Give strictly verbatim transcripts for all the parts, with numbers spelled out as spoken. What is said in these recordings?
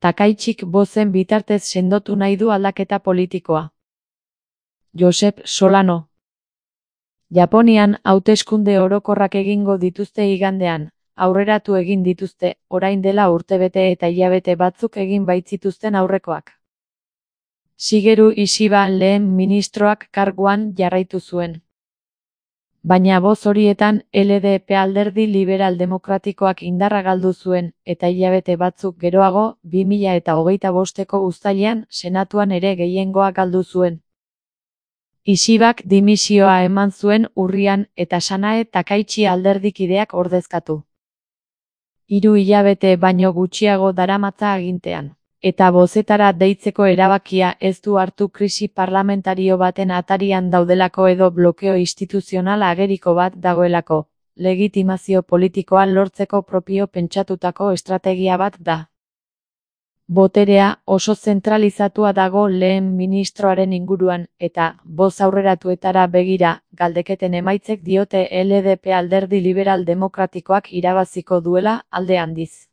Takaitxik bozen bitartez sendotu nahi du aldaketa politikoa. Josep Solano. Japonian hauteskunde orokorrak egingo dituzte igandean, aurreratu egin dituzte, orain dela urtebete eta hilabete batzuk egin baitzituzten aurrekoak. Shigeru Ishiba lehen ministroak karguan jarraitu zuen. Baina boz horietan L D P alderdi liberal demokratikoak indarra galdu zuen, eta hilabete batzuk geroago, bi mila eta hogeita bosteko uztailean, senatuan ere gehiengoa galdu zuen. Ishibak dimisioa eman zuen urrian eta Sanae Takaichi alderdikideak ordezkatu. Hiru hilabete baino gutxiago daramatza agintean. Eta bozetara deitzeko erabakia ez du hartu krisi parlamentario baten atarian daudelako edo blokeo instituzional ageriko bat dagoelako, legitimazio politikoa lortzeko propio pentsatutako estrategia bat da. Boterea oso zentralizatua dago lehen ministroaren inguruan, eta, boz aurreratuetara begira, galdeketen emaitzek diote L D P alderdi liberal demokratikoak irabaziko duela alde handiz.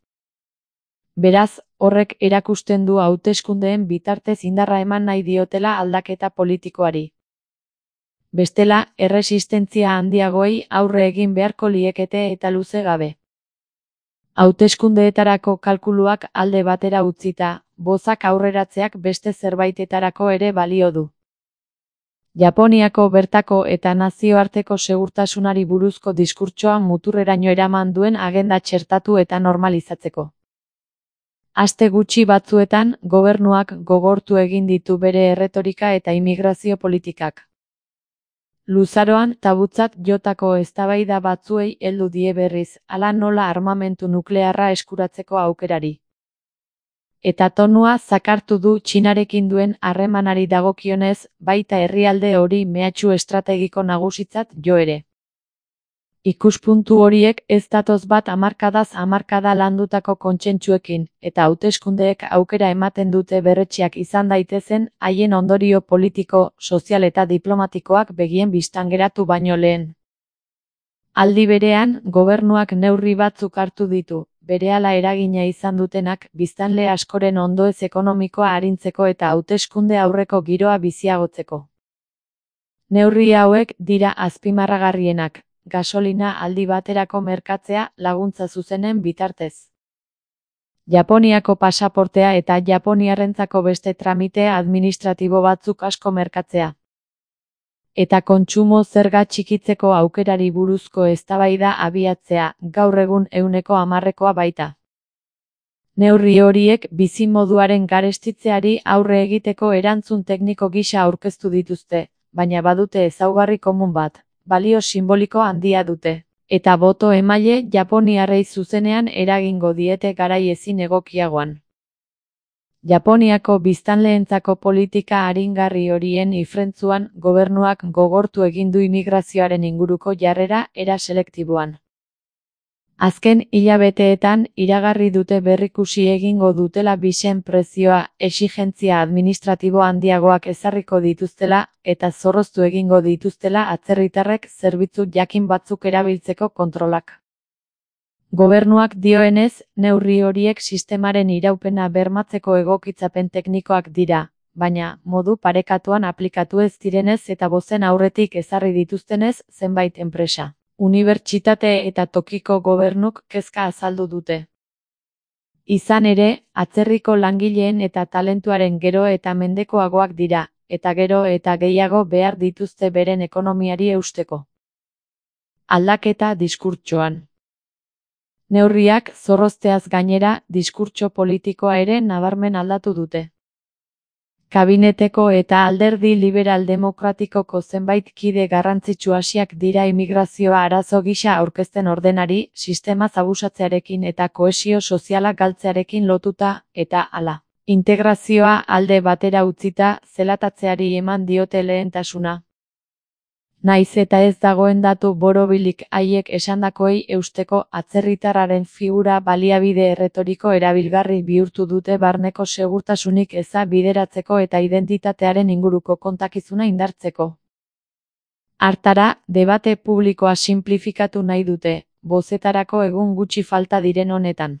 Beraz, horrek erakusten du hauteskundeen bitartez indarra eman nahi diotela aldaketa politikoari. Bestela, erresistentzia handiagoei aurre egin beharko liekete eta luze gabe. Hauteskundeetarako kalkuluak alde batera utzita, bozak aurreratzeak beste zerbaitetarako ere balio du. Japoniako bertako eta nazioarteko segurtasunari buruzko diskurtsoa muturreraino eraman duen agenda txertatu eta normalizatzeko. Aste gutxi batzuetan, gobernuak gogortu egin ditu bere erretorika eta immigrazio politikak. Luzaroan tabutzat jotako eztabaida batzuei heldu die berriz, hala nola armamentu nuklearra eskuratzeko aukerari. Eta tonua zakartu du Txinarekin duen harremanari dagokionez, baita herrialde hori mehatxu estrategiko nagusitzat jo ere. Ikuspuntu horiek ez datoz bat hamarkadaz hamarkada landutako kontsentsuekin, eta hauteskundeek aukera ematen dute berretsiak izan daitezen haien ondorio politiko, sozial eta diplomatikoak begien bistan geratu baino lehen. Aldi berean, gobernuak neurri batzuk hartu ditu, berehala eragina izan dutenak, biztanle askoren ondoez ekonomikoa arintzeko eta hauteskunde aurreko giroa biziagotzeko. Neurri hauek dira azpimarragarrienak. Gasolina aldi baterako merkatzea laguntza zuzenen bitartez. Japoniako pasaportea eta japoniarrentzako beste tramite administratibo batzuk asko merkatzea. Eta kontsumo zerga txikitzeko aukerari buruzko eztabaida abiatzea, gaur egun ehuneko hamarrekoa baita. Neurri horiek bizimoduaren garestitzeari aurre egiteko erantzun tekniko gisa aurkeztu dituzte, baina badute ezaugarri komun bat. Balio simboliko handia dute, eta boto emaile japoniarrei zuzenean eragingo diete garai ezin egokiagoan. Japoniako biztanleentzako politika aringarri horien ifrentzuan gobernuak gogortu egin du immigrazioaren inguruko jarrera era selektiboan. Azken hilabeteetan iragarri dute berrikusi egingo dutela bisen prezioa, exigentzia administratibo handiagoak ezarriko dituztela, eta zorroztu egingo dituztela atzerritarrek zerbitzu jakin batzuk erabiltzeko kontrolak. Gobernuak dioenez, neurri horiek sistemaren iraupena bermatzeko egokitzapen teknikoak dira, baina, modu parekatuan aplikatu ez direnez eta bozen aurretik ezarri dituztenez zenbait enpresa. Unibertsitate eta tokiko gobernuk kezka azaldu dute. Izan ere, atzerriko langileen eta talentuaren gero eta mendekoagoak dira, eta gero eta gehiago behar dituzte beren ekonomiari eusteko. Aldaketa diskurtsoan. Neurriak zorrozteaz gainera, diskurtso politikoa ere nabarmen aldatu dute. Kabineteko eta alderdi liberal demokratikoko zenbait kide garrantzitsu hasiak dira immigrazioa arazo gisa aurkezten ordenari, sistema zabusatzearekin eta kohesio soziala galtzearekin lotuta, eta hala. Integrazioa alde batera utzita, zelatatzeari eman diote lehentasuna. Naiz eta ez dagoen datu borobilik haiek esandakoei eusteko atzerritarraren figura baliabide erretoriko erabilgarri bihurtu dute barneko segurtasunik eza bideratzeko eta identitatearen inguruko kontakizuna indartzeko. Hartara, debate publikoa sinplifikatu nahi dute, bozetarako egun gutxi falta diren honetan.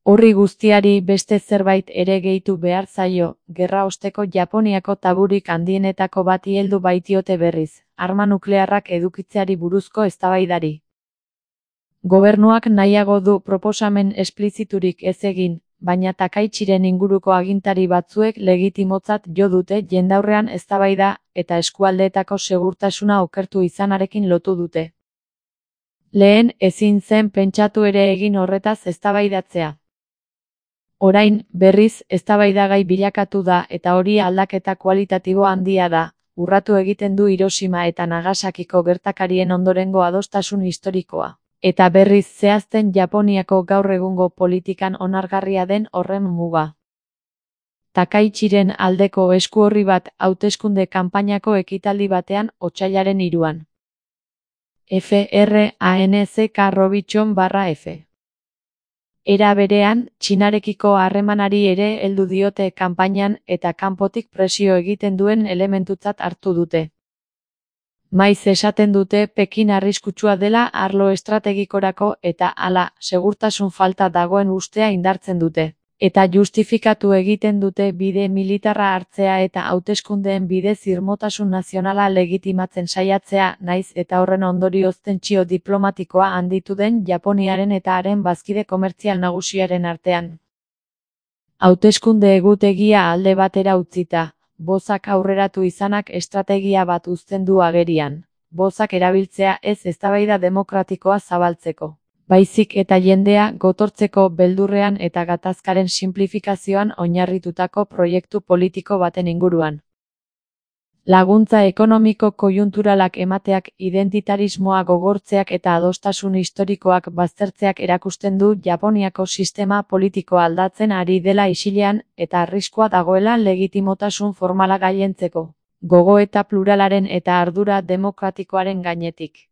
Horri guztiari beste zerbait ere gehitu behar zaio, gerra osteko Japoniako taburik handienetako bati heldu baitiote berriz, arma nuklearrak edukitzeari buruzko eztabaidari. Gobernuak nahiago du proposamen espliziturik ez egin, baina Takaichiren inguruko agintari batzuek legitimotzat jo dute jendaurrean eztabaida eta eskualdeetako segurtasuna okertu izanarekin lotu dute. Lehen ezin zen pentsatu ere egin horretaz eztabaidatzea. Orain, berriz, eztabaidagai bilakatu da eta hori aldaketa kualitatibo handia da, urratu egiten du Hiroshima eta Nagasakiko gertakarien ondorengo adostasun historikoa. Eta berriz zehazten Japoniako gaur egungo politikan onargarria den horren muga. Takaichiren aldeko esku horri bat hauteskunde kanpainako ekitaldi batean otsailaren hiruan. F R A N C K Robichon barra F. Era berean, Txinarekiko harremanari ere heldu diote kanpainan eta kanpotik presio egiten duen elementutzat hartu dute. Maiz esaten dute Pekin arriskutsua dela arlo estrategikorako eta hala, segurtasun falta dagoen ustea indartzen dute. Eta justifikatu egiten dute bide militarra hartzea eta hauteskundeen bidez irmotasun nazionala legitimatzen saiatzea, naiz eta horren ondorioz tentsio diplomatikoa handitu den Japoniaren eta haren bazkide komertzial nagusiaren artean. Hauteskunde egutegia alde batera utzita, bozak aurreratu izanak estrategia bat uzten du agerian. Bozak erabiltzea ez eztabaida demokratikoa zabaltzeko, baizik eta jendea gotortzeko beldurrean eta gatazkaren sinplifikazioan oinarritutako proiektu politiko baten inguruan. Laguntza ekonomiko koiunturalak emateak, identitarismoa gogortzeak eta adostasun historikoak baztertzeak erakusten du Japoniako sistema politikoa aldatzen ari dela isilean eta arriskua dagoela legitimotasun formala gailentzeko, gogoeta pluralaren eta ardura demokratikoaren gainetik.